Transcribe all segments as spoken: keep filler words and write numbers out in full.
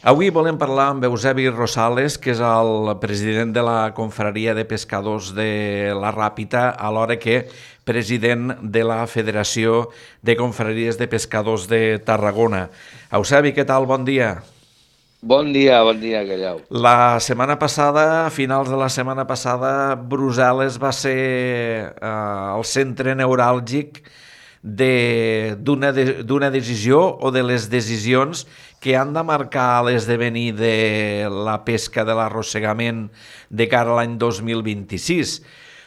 Avui volem parlar amb Eusebi Rosales, que és el president de la Confraria de Pescadors de la Ràpita, alhora que president de la Federació de Confraries de Pescadors de Tarragona. Eusebi, què tal? Bon dia. Bon dia, bon dia, Gallau. La setmana passada, a finals de la setmana passada, Brussel·les va ser eh, el centre neuràlgic de- d'una de, d'una decisió o de les decisions que han de marcar l'esdevenir de la pesca de l'arrossegament de cara a l'any dos mil vint-i-sis.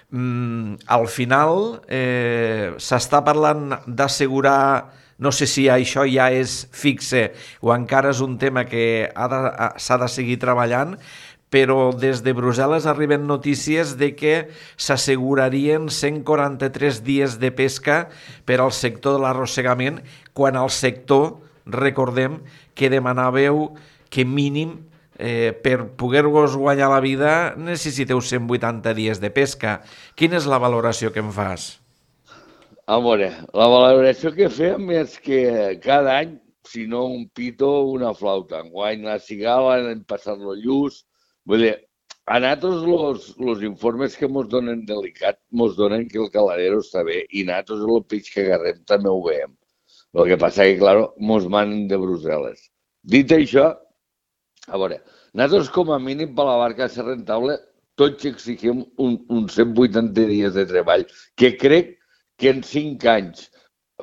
Mm, al final eh, s'està parlant d'assegurar, no sé si això ja és fixe o encara és un tema que ha de, ha- s'ha de seguir treballant, però des de Brussel·les arriben notícies de que s'assegurarien cent quaranta-tres dies de pesca per al sector de l'arrossegament, quan el sector, recordem, que demanàveu que mínim eh, per poder-vos guanyar la vida necessiteu cent vuitanta dies de pesca. Quina és la valoració que em fas? A veure, la valoració que fem és que cada any, si no un pito, una flauta. Enguany la cigala, l'any passat lo lluç. Vull dir, a nosaltres los, los informes que ens donen delicat, ens donen que el caladero està bé i nosaltres el peix que agarrem també ho veiem. El que passa que, clar, ens manen de Brussel·les. Dit això, a veure, nosaltres com a mínim per la barca ser rentable tots exigim un, un cent vuitanta dies de treball, que crec que en cinc anys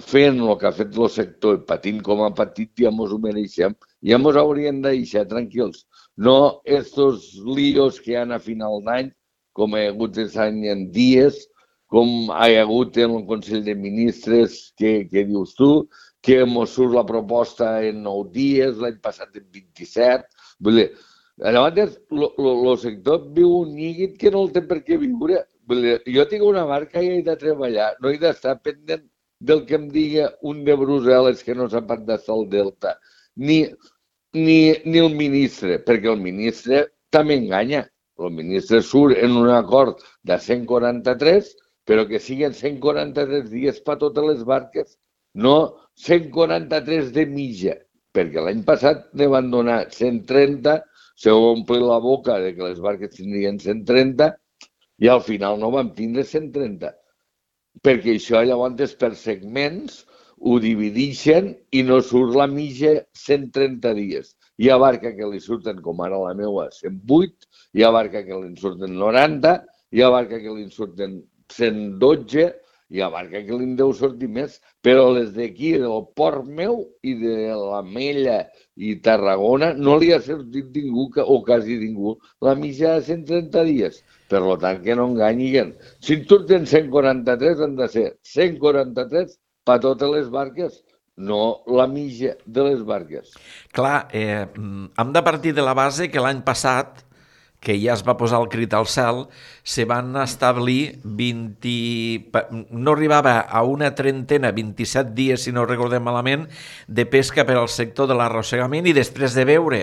fent el que ha fet el sector i patint com ha patit ja mos ho mereixem, ja mos haurien de deixar tranquils. No estos líos que hi ha a final d'any, com hi ha hagut aquest any en dies, com hi ha hagut en el Consell de Ministres, que, que dius tu, que mos surt la proposta en nou dies, l'any passat en vint-i-set. Vull dir, llavors, el sector viu un nyiguit que no el té per què viure. Vull dir, jo tinc una barca i he de treballar, no he d'estar pendent del que em diga un de Brussel·les que no sap d'estar al Delta, ni, ni, ni el ministre, perquè el ministre també enganya. El ministre surt en un acord de cent quaranta-tres, però que siguin cent quaranta-tres dies per totes les barques, no cent quaranta-tres de mitja, perquè l'any passat ne van donar cent trenta, se va omplir la boca de que les barques tindrien cent trenta i al final no vam tindre cent trenta, perquè això llavors és per segments, ho divideixen i no surt la mitja cent trenta dies. Hi ha barca que li surten, com ara la meva, cent vuit, hi ha barca que li surten noranta, hi ha barca que li surten cent dotze, hi ha barca que li deu sortir més, però les d'aquí, del port meu i de la Mella i Tarragona, no li ha sortit ningú, o quasi ningú, la mitja de cent trenta dies. Per tant, que no enganyiguen. Si en surten cent quaranta-tres, han de ser cent quaranta-tres per totes les barques, no la mitja de les barques. Clar, eh, hem de partir de la base que l'any passat, que ja es va posar el crit al cel, se van establir vint... no arribava a una trentena, vint-i-set dies, si no recordem malament, de pesca per al sector de l'arrossegament, i després de veure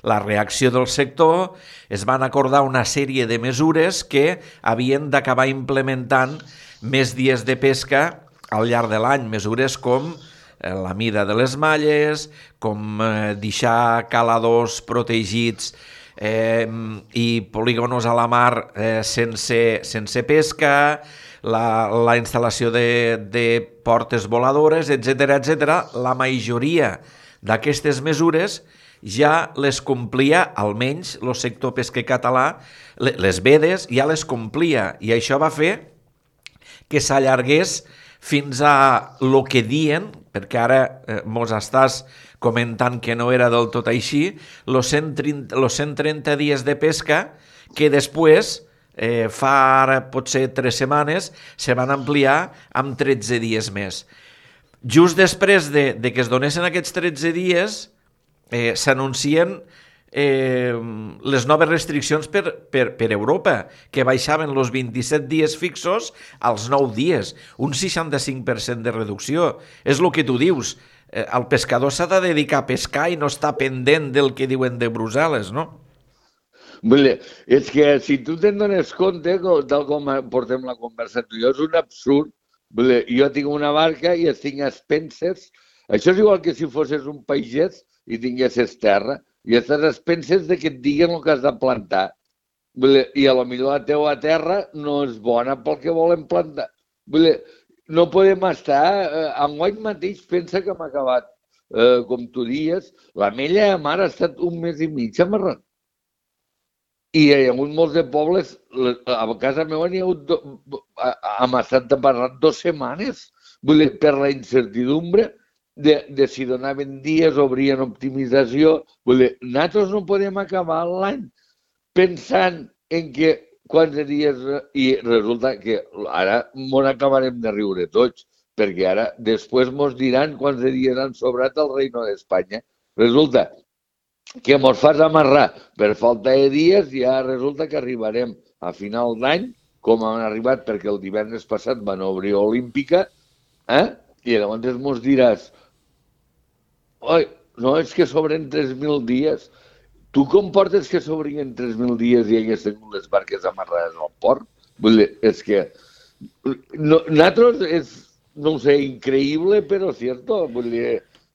la reacció del sector es van acordar una sèrie de mesures que havien d'acabar implementant més dies de pesca al llarg de l'any, mesures com eh, la mida de les malles, com eh, deixar caladors protegits eh, i polígonos a la mar eh, sense, sense pesca, la, la instal·lació de, de portes voladores, etcètera, etcètera. La majoria d'aquestes mesures ja les complia, almenys el sector pesquer català, les vedes ja les complia, i això va fer que s'allargués fins a lo que dien, perquè ara eh, mos estàs comentant que no era del tot així, los cent trenta, los cent trenta dies de pesca que després, eh, fa ara potser tres setmanes, se van ampliar amb tretze dies més. Just després de, de que es donessin aquests tretze dies, eh, s'anuncien eh, les noves restriccions per, per, per Europa, que baixaven els vint-i-set dies fixos als nou dies, un seixanta-cinc per cent de reducció. És el que tu dius, eh, el pescador s'ha de dedicar a pescar i no està pendent del que diuen de Brussel·les, no? Vull dir, és que si tu te'n dones compte, tal com portem la conversa tu i jo, és un absurd. Vull dir, jo tinc una barca i estic a expenses. Això és igual que si fossis un pagès i tinguessis terra. i estàs a expenses de que et diguen el que has de plantar. I a lo millor la teua terra no és bona pel que volen plantar. No podem estar... Enguany mateix pensa que hem acabat, com tu dies, l'Ametlla de Mar ha estat un mes i mig amarrant. I hi ha hagut molts de pobles, a casa meva n'hi ha hagut, hem estat amarrant dues setmanes, per la incertidumbre de, de si donaven dies, obrien optimització. Nosaltres no podem acabar l'any pensant en que quants dies... I resulta que ara m'ho acabarem de riure tots, perquè ara després mos diran quants dies han sobrat al Reino d'Espanya. Resulta que mos fas amarrar per falta de dies i ja resulta que arribarem a final d'any, com han arribat perquè el divendres passat van obrir Olímpica, eh? I llavors mos diràs, oi, no, és que sobren tres mil dies. Tu com portes que s'obrien tres mil dies i hagués tingut les barques amarrades al port? Vull dir, és que... No, nosaltres és, no ho sé, increïble, però cierto. Vull dir,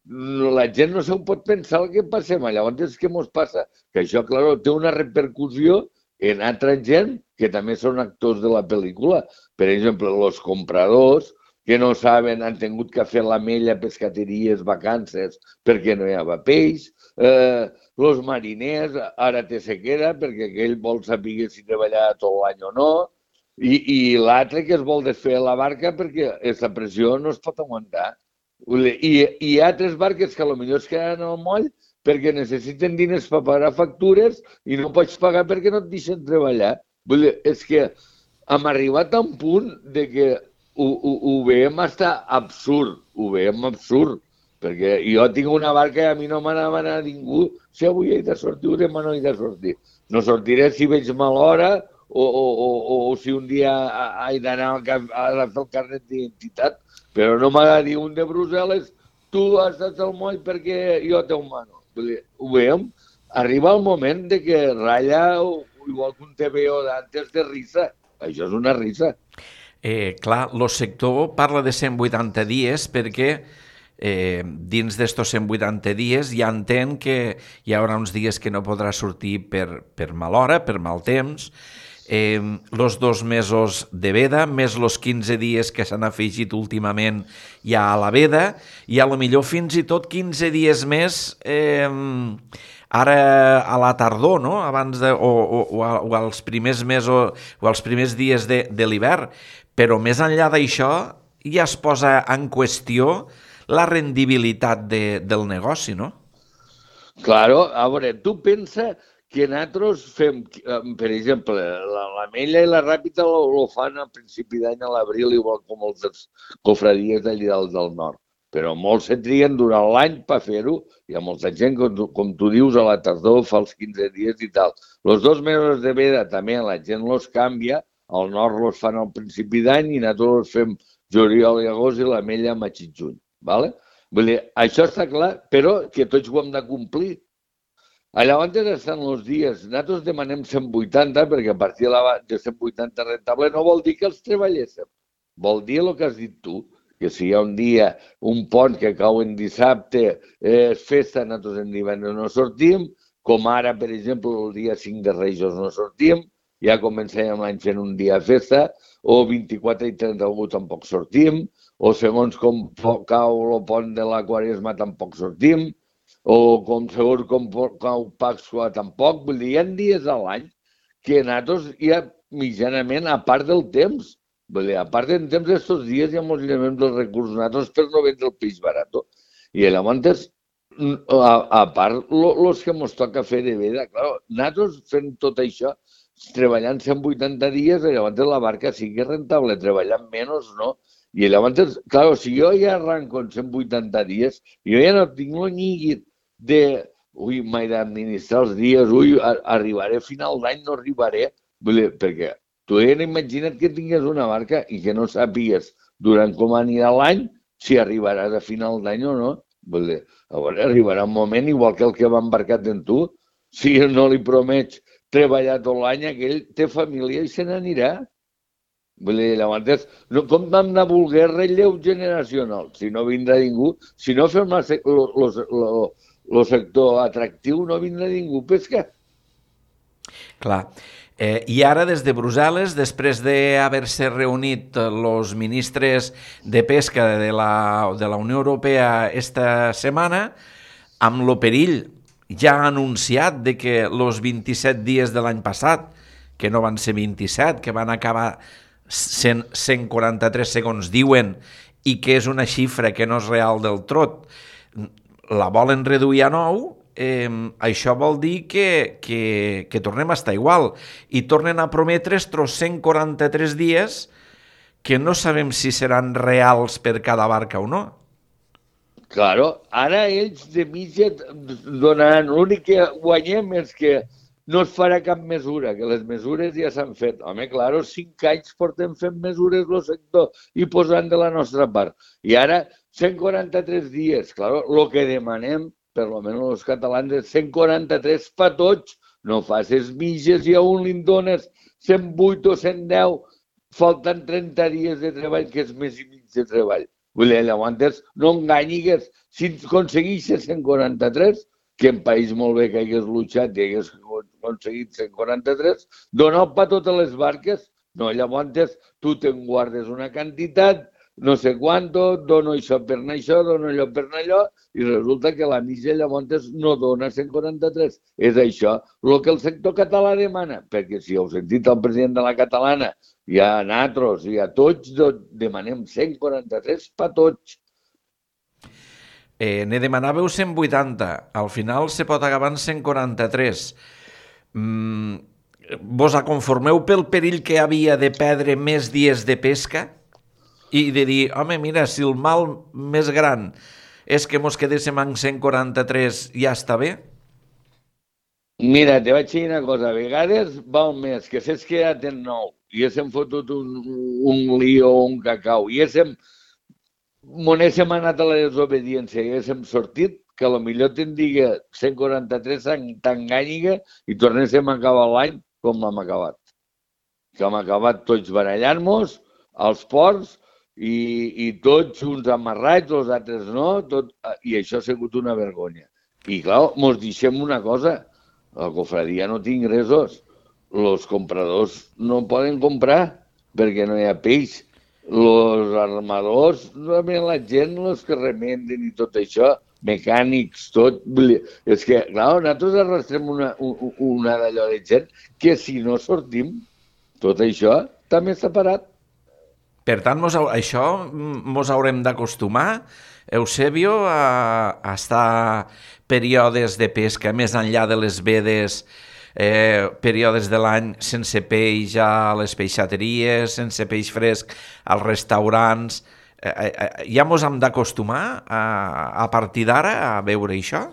no, la gent no s'ho pot pensar el que passem allà. Llavors, què mos passa? Que això, clar, té una repercussió en altra gent que també són actors de la pel·lícula. Per exemple, els compradors que no saben, han tingut que fer l'Ametlla, pescateries, vacances, perquè no hi havia peix. Eh, els mariners, ara té sequera, perquè aquell vol saber si treballarà tot l'any o no. I, i l'altre que es vol desfer la barca perquè aquesta pressió no es pot aguantar. I hi ha altres barques que potser es queden al moll perquè necessiten diners per pagar factures i no pots pagar perquè no et deixen treballar. Vull dir, és que hem arribat a un punt de que ho, ho, ho veiem estar absurd, ho veiem absurd, perquè jo tinc una barca i a mi no m'ha demanat ningú si avui he de sortir o demà no he de sortir. No sortiré si veig mal hora o, o, o, o si un dia he d'anar a fer el carnet d'identitat, però no m'ha de dir un de Brussel·les, tu has estat al moll perquè jo t'ho mano. Ho veiem, arriba el moment de que ratlla igual que un T V O d'antes de risa. Això és una risa. Eh, clar, el sector parla de cent vuitanta dies perquè eh, dins d'estos cent vuitanta dies ja entén que hi haurà uns dies que no podrà sortir per, per mal hora, per mal temps, eh, los dos mesos de veda, més los quinze dies que s'han afegit últimament ja a la veda, i a lo millor fins i tot quinze dies més eh, ara a la tardor, no? Abans de, o, o, o als primers mesos o als primers dies de, de l'hivern. Però més enllà d'això ja es posa en qüestió la rendibilitat de, del negoci, no? Claro, a veure, tu pensa que nosaltres fem, per exemple, l'Ametlla i la Ràpita ho fan a principi d'any a l'abril, igual com els cofradies d'allà del nord. Però molts se triguen durant l'any per fer-ho, i a molta gent, com tu, com tu dius, a la tardor fa els quinze dies i tal. Els dos mesos de veda també la gent els canvia, al nord els fan al principi d'any i nosaltres els fem juliol i agost i l'Ametlla a maig i juny. Vale? Vull dir, això està clar, però que tots ho hem de complir. Llavors estan els dies. Nosaltres demanem cent vuitanta perquè a partir de cent vuitanta rentable no vol dir que els treballéssim. Vol dir el que has dit tu, que si hi ha un dia, un pont que cau en dissabte, és festa, nosaltres en divendres no sortim, com ara, per exemple, el dia cinc de Reis no sortim, ja comencem l'any fent un dia de festa, o vint-i-quatre i trenta-u tampoc sortim, o segons com cau el pont de la Quaresma tampoc sortim, o com segons com cau Pasqua tampoc. Vull dir, hi ha dies a l'any que nosaltres hi ha mitjanament, a part del temps, vull dir, a part del temps d'estos dies hi ha molts elements dels recursos nosaltres per no vendre el peix barat. I llavors, a, a part, els que ens toca fer de veda, clar, nosaltres fent tot això, treballant cent vuitanta dies, llavors la barca sigui rentable, treballant menys, no? I llavors, clar, si jo ja arranco en cent vuitanta dies, jo ja no tinc el nyiguit de, ui, m'he d'administrar els dies, ui, arribaré a final d'any, no arribaré, vull dir, perquè tu ja imagina't que tingués una barca i que no sàpigues durant com anirà l'any si arribaràs a final d'any o no. Vull dir, llavors arribarà un moment, igual que el que va embarcat en tu, si no li promets treballar tot l'any, aquell té família i se n'anirà. Vull dir, llavors, no, com vam de voler relleu generacional? Si no vindrà ningú, si no fem la, el sector atractiu no vindrà ningú a pescar. Clar. Eh, I ara, des de Brussel·les, després d'haver-se reunit els ministres de pesca de la, de la Unió Europea esta setmana, amb lo perill ja ha anunciat de que els vint-i-set dies de l'any passat, que no van ser vint-i-set, que van acabar cent, cent quaranta-tres segons, diuen, i que és una xifra que no és real del tot, la volen reduir a nou, eh, això vol dir que, que, que tornem a estar igual i tornen a prometre estos cent quaranta-tres dies que no sabem si seran reals per cada barca o no. Claro, ara ells de mitja donaran, l'únic que guanyem és que no es farà cap mesura, que les mesures ja s'han fet. Home, claro, cinc anys portem fent mesures el sector i posant de la nostra part. I ara, cent quaranta-tres dies, claro, el que demanem, per almenys els catalans, és cent quaranta-tres per tots. No facis mitges i a un li dones cent vuit o cent deu, falten trenta dies de treball, que és més i mig de treball. Vull dir, llavors, no enganyigues. Si aconsegueixes cent quaranta-tres, que en país molt bé que hagués luchat i hagués aconseguit cent quaranta-tres, dona per totes les barques. No, llavors tu te'n guardes una quantitat, no sé quanto, dono això per anar això, dono allò per anar allò, i resulta que la mitja llavors no dona cent quaranta-tres. És això el que el sector català demana, perquè si heu sentit el president de la catalana, i a nosaltres i a tots demanem cent quaranta-tres per tots. Eh, ne demanàveu cent vuitanta, al final se pot acabar en cent quaranta-tres. Mm, vos aconformeu pel perill que havia de perdre més dies de pesca i de dir, home, mira, si el mal més gran és que mos quedéssim en cent quaranta-tres, ja està bé? Mira, te vaig dir una cosa, a vegades val més que s'és quedat en nou i haguéssim fotut un, un lío o un cacau i haguéssim m'haguéssim anat a la desobediència i haguéssim sortit, que potser te'n diga cent quaranta-tres t'enganyiga i tornéssim a acabar l'any com l'hem acabat. Que hem acabat tots barallant-nos als ports i, i tots uns amarrats, els altres no, tot, i això ha sigut una vergonya. I clar, mos deixem una cosa, la cofradia no té ingressos, els compradors no poden comprar perquè no hi ha peix. Els armadors, també la gent, els que remenden i tot això, mecànics, tot... És que, clar, nosaltres arrastrem una, una d'allò de gent que si no sortim, tot això també està parat. Per tant, mos, això mos haurem d'acostumar, Eusebio, a, a estar períodes de pesca més enllà de les vedes, eh, períodes de l'any sense peix a les peixateries, sense peix fresc als restaurants. Eh, eh, ja mos hem d'acostumar a, a partir d'ara a veure això?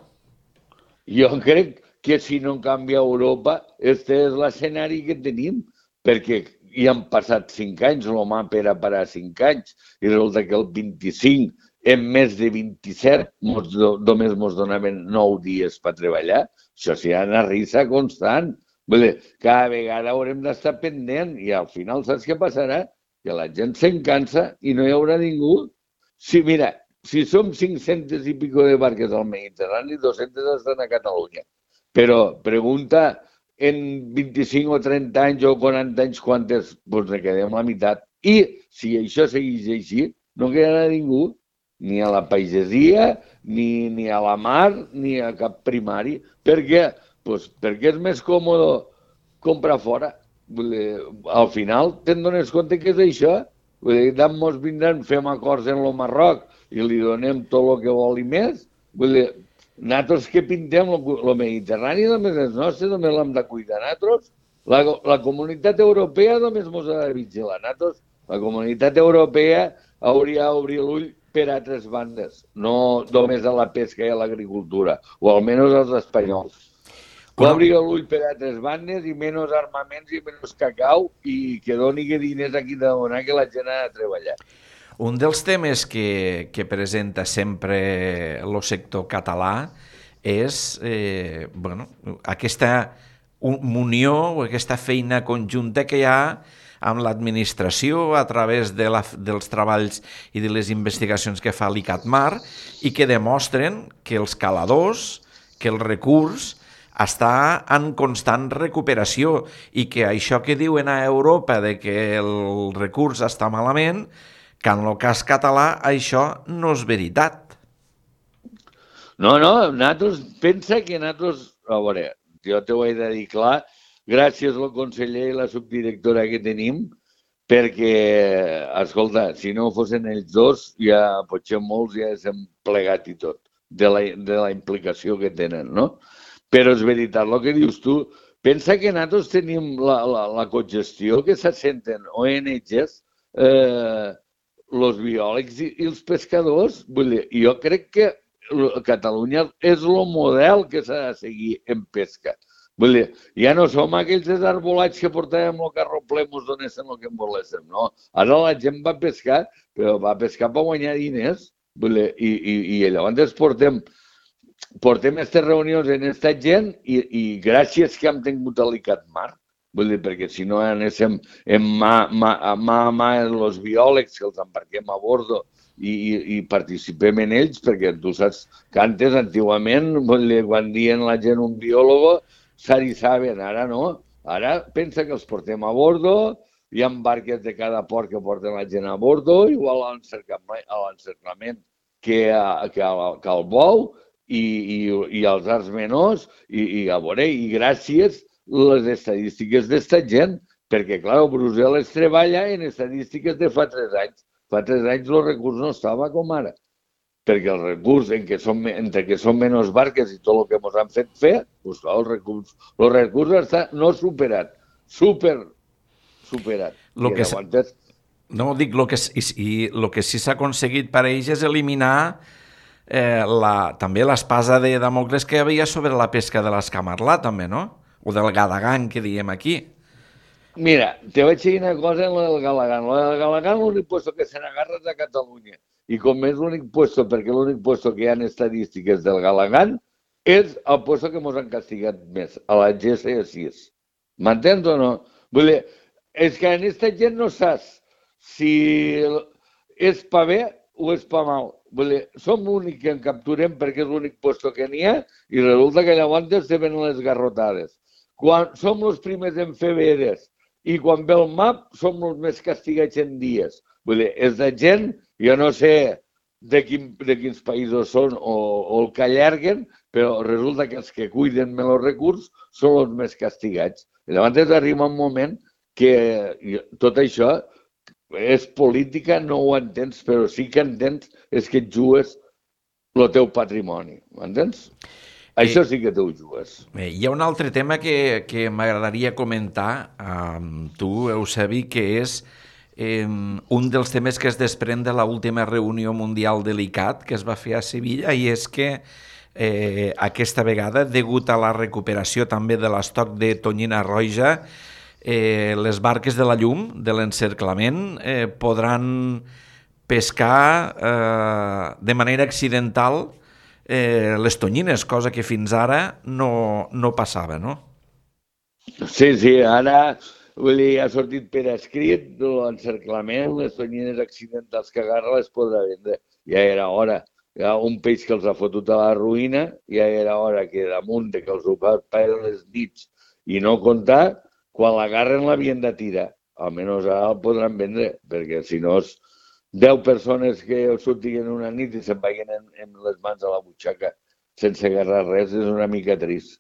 Jo crec que si no canvia Europa, este és l'escenari que tenim, perquè hi han passat cinc anys, el mapa era per a cinc anys, i resulta que el vint-i-cinc, en més de vint-i-set, mos, només ens donaven nou dies per treballar. Això serà una risa constant. Vull dir, cada vegada haurem d'estar pendent i al final saps què passarà? Que la gent se'n cansa i no hi haurà ningú. Si, mira, si som cinc-centes i pico de barques al Mediterrani, dos-centes estan a Catalunya. Però pregunta en vint-i-cinc o trenta anys o quaranta anys quantes, doncs ne quedem la meitat. I si això segueix així, no quedarà ningú, ni a la pagesia, ni, ni a la mar, ni a cap primari. Per què? Pues perquè és més còmode comprar fora. Al final te'n dones compte que és això. Tant mos vindran, fem acords en el Marroc i li donem tot el que vol i més. Nosaltres que pintem el Mediterrani només és nostre, només l'hem de cuidar nosaltres. La, la comunitat europea només ens ha de vigilar. Nosaltres, la comunitat europea hauria d'obrir l'ull per altres bandes, no només a la pesca i a l'agricultura, o almenys els espanyols. Obrir l'ull per altres bandes i menys armaments i menys cacau i que doni diners aquí de donar que la gent ha de treballar. Un dels temes que, que presenta sempre el sector català és eh, bueno, aquesta unió o aquesta feina conjunta que hi ha amb l'administració a través de la, dels treballs i de les investigacions que fa l'ICATMAR i que demostren que els caladors, que el recurs està en constant recuperació i que això que diuen a Europa de que el recurs està malament, que en el cas català això no és veritat. No, no, nosaltres, pensa que nosaltres, a veure, jo t'ho he de dir clar, gràcies al conseller i la subdirectora que tenim, perquè, escolta, si no fossin ells dos, ja potser molts ja s'han plegat i tot, de la, de la implicació que tenen, no? Però és veritat, el que dius tu, pensa que nosaltres tenim la, la, la cogestió que s'assenten O N Gs, eh, els biòlegs i, i els pescadors. Vull dir, jo crec que Catalunya és el model que s'ha de seguir en pesca. Vull dir, ja no som aquells desarbolats que portàvem el carro ple, mos donéssim el que en voléssim, no? Ara la gent va pescar, però va pescar per guanyar diners. Vull dir, i, i, i llavors portem, portem aquestes reunions en aquesta gent i, i gràcies que hem tingut a l'ICATMAR, vull dir, perquè si no anéssim en mà, mà, mà a mà els biòlegs que els embarquem a bordo i, i, i participem en ells, perquè tu saps que antes, antigament, quan dien la gent un biòlogo, s'arissaven, ara no. Ara pensa que els portem a bordo, hi ha barques de cada port que porten la gent a bordo, igual a l'encerclament que, que, que al bou i, i, i als arts menors, i, i a veure, i gràcies les estadístiques d'esta gent, perquè, clar, Brussel·les treballa en estadístiques de fa tres anys. Fa tres anys el recurs no estava com ara, perquè el recurs, en què som, entre que són menys barques i tot el que ens han fet fer, doncs clar, el recurs, el recurs està no superat, super superat. Lo que aguantes... No, dic, el que, i, lo que sí s'ha aconseguit per a ells és eliminar eh, la, també l'espasa de Damocles que hi havia sobre la pesca de l'escamarlà, també, no? O del gadagan, que diem aquí. Mira, te vaig dir una cosa en la del galagan. La del galagan l'únic puesto que se n'agarra de Catalunya. I com és l'únic puesto, perquè l'únic puesto que hi ha estadístiques del galagan és el puesto que ens han castigat més, a la G C sis. M'entens o no? Vull dir, és que en aquesta gent no saps si és pa bé o és pa mal. Vull dir, som l'únic que en capturem perquè és l'únic puesto que n'hi ha i resulta que llavors se ven les garrotades. Quan som els primers en fer veres i quan ve el map som els més castigats en dies. Vull dir, és de gent, jo no sé de, quin, de quins països són o, o el que allarguen, però resulta que els que cuiden més els recursos són els més castigats. I llavors arriba un moment que tot això és política, no ho entens, però sí que entens és que et jugues el teu patrimoni, m'entens? Això sí que t'ho jugues. Bé, hi ha un altre tema que, que m'agradaria comentar amb tu, Eusebi, que és eh, un dels temes que es desprèn de l'última reunió mundial de l'ICAT que es va fer a Sevilla, i és que eh, aquesta vegada, degut a la recuperació també de l'estoc de tonyina roja, eh, les barques de la llum, de l'encerclament, eh, podran pescar eh, de manera accidental Eh, les tonyines, cosa que fins ara no, no passava, no? Sí, sí, ara vull dir, ha sortit per escrit l'encerclament, les tonyines accidentals que agarra les podrà vendre. Ja era hora. Hi ha un peix que els ha fotut a la ruïna, ja era hora que damunt de que els ho fa per les nits i no comptar, quan l'agarren l'havien de tirar. Almenys ara el podran vendre, perquè si no és deu persones que sortien una nit i se'n vagin en, en les mans a la butxaca sense agarrar res, és una mica trist.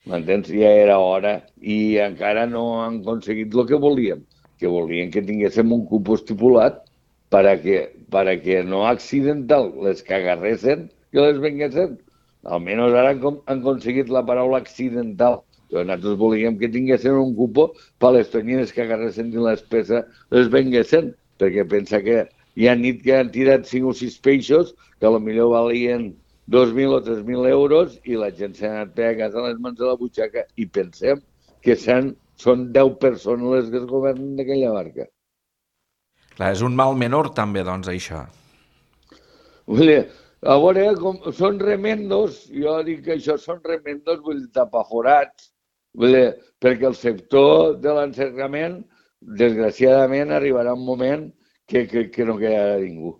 M'entens? Ja era hora i encara no han aconseguit el que volíem, que volien que tinguéssim un cupo estipulat per a que, per a que no accidental les que agarressin que les venguessin. Almenys ara han, han aconseguit la paraula accidental, però nosaltres volíem que tinguessin un cupo per a les tonyines que agarressin i les peces les venguessin, perquè pensa que hi ha nit que han tirat cinc o sis peixos que potser valien dos mil o tres mil euros i la gent s'ha anat per a casa a les mans de la butxaca i pensem que són deu persones les que es governen d'aquella barca. Clar, és un mal menor també, doncs, això. Vull dir, a veure, com, són remendos, jo dic que això són remendos, vull dir, tapaforats, vull dir, perquè el sector de l'encerclament desgraciadament arribarà un moment que, que, que no quedarà ningú.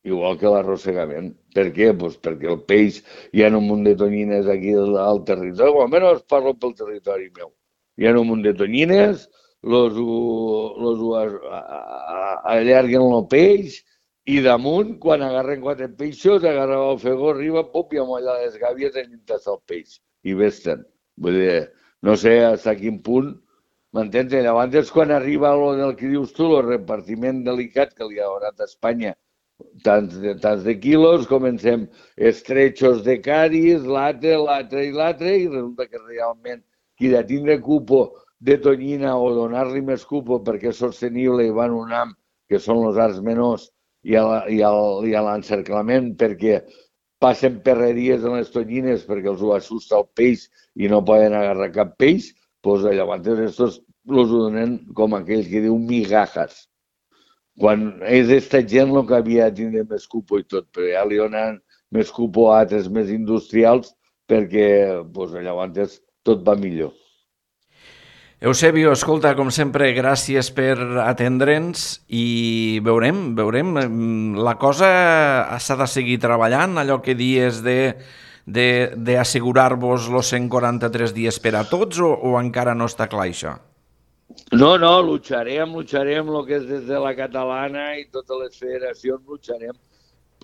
Igual que l'arrossegament. Per què? Pues perquè el peix, hi ha un munt de tonyines aquí al, al territori, o almenys parlo pel territori meu. Hi ha un munt de tonyines, los, los, los allarguen el peix, i damunt, quan agarren quatre peixos, agarren el fegó, arriba, pop, i amolla les gàbies en dintre el peix. I vesten. Vull dir, no sé fins a quin punt, m'entens? Llavors és quan arriba el del que dius tu, el repartiment delicat que li ha donat a Espanya, tants de, tants de quilos, comencem estrechos de caris, l'altre, l'altre i l'altre, i resulta que realment qui de tindre cupo de tonyina o donar-li més cupo perquè és sostenible i van un am, que són els arts menors, i a l'encerclament perquè passen perreries en les tonyines perquè els ho assusta el peix i no poden agarrar cap peix, doncs llavors estos els donen com aquells que diu migajas. Quan és esta gent el que havia de tindre més cupo i tot, però ja li donen més cupo a altres més industrials perquè doncs, llavors tot va millor. Eusebio, escolta, com sempre, gràcies per atendre'ns i veurem, veurem. La cosa s'ha de seguir treballant, allò que dies de d'assegurar-vos els cent quaranta-tres dies per a tots o, o encara no està clar això? No, no, lucharem, lucharem el que és des de la catalana i totes les federacions, lucharem.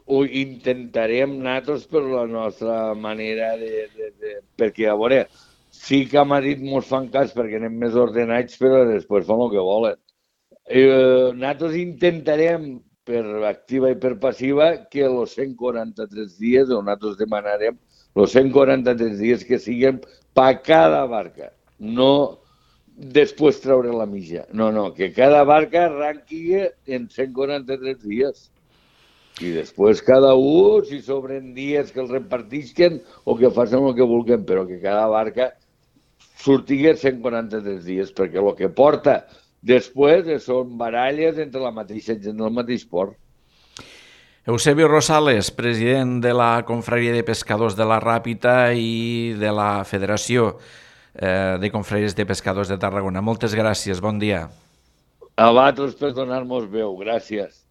Ho intentarem nosaltres per la nostra manera de... de, de perquè, a veure, sí que a Madrid mos fan cas perquè anem més ordenats, però després fan el que volen. Eh, nosaltres intentarem, per activa i per passiva, que els cent quaranta-tres dies, o nosaltres demanarem, els cent quaranta-tres dies que siguin per cada barca. No després treure la mitja. No, no, que cada barca arranqui en cent quaranta-tres dies. I després cada un, si sobren dies que els repartisquen o que facin el que vulguin, però que cada barca sortigui cent quaranta-tres dies, perquè el que porta després són baralles entre la mateixa gent del mateix port. Eusebio Rosales, president de la Confraria de Pescadors de la Ràpita i de la Federació de Confraries de Pescadors de Tarragona. Moltes gràcies, bon dia. A vosaltres per donar-nos veu, gràcies.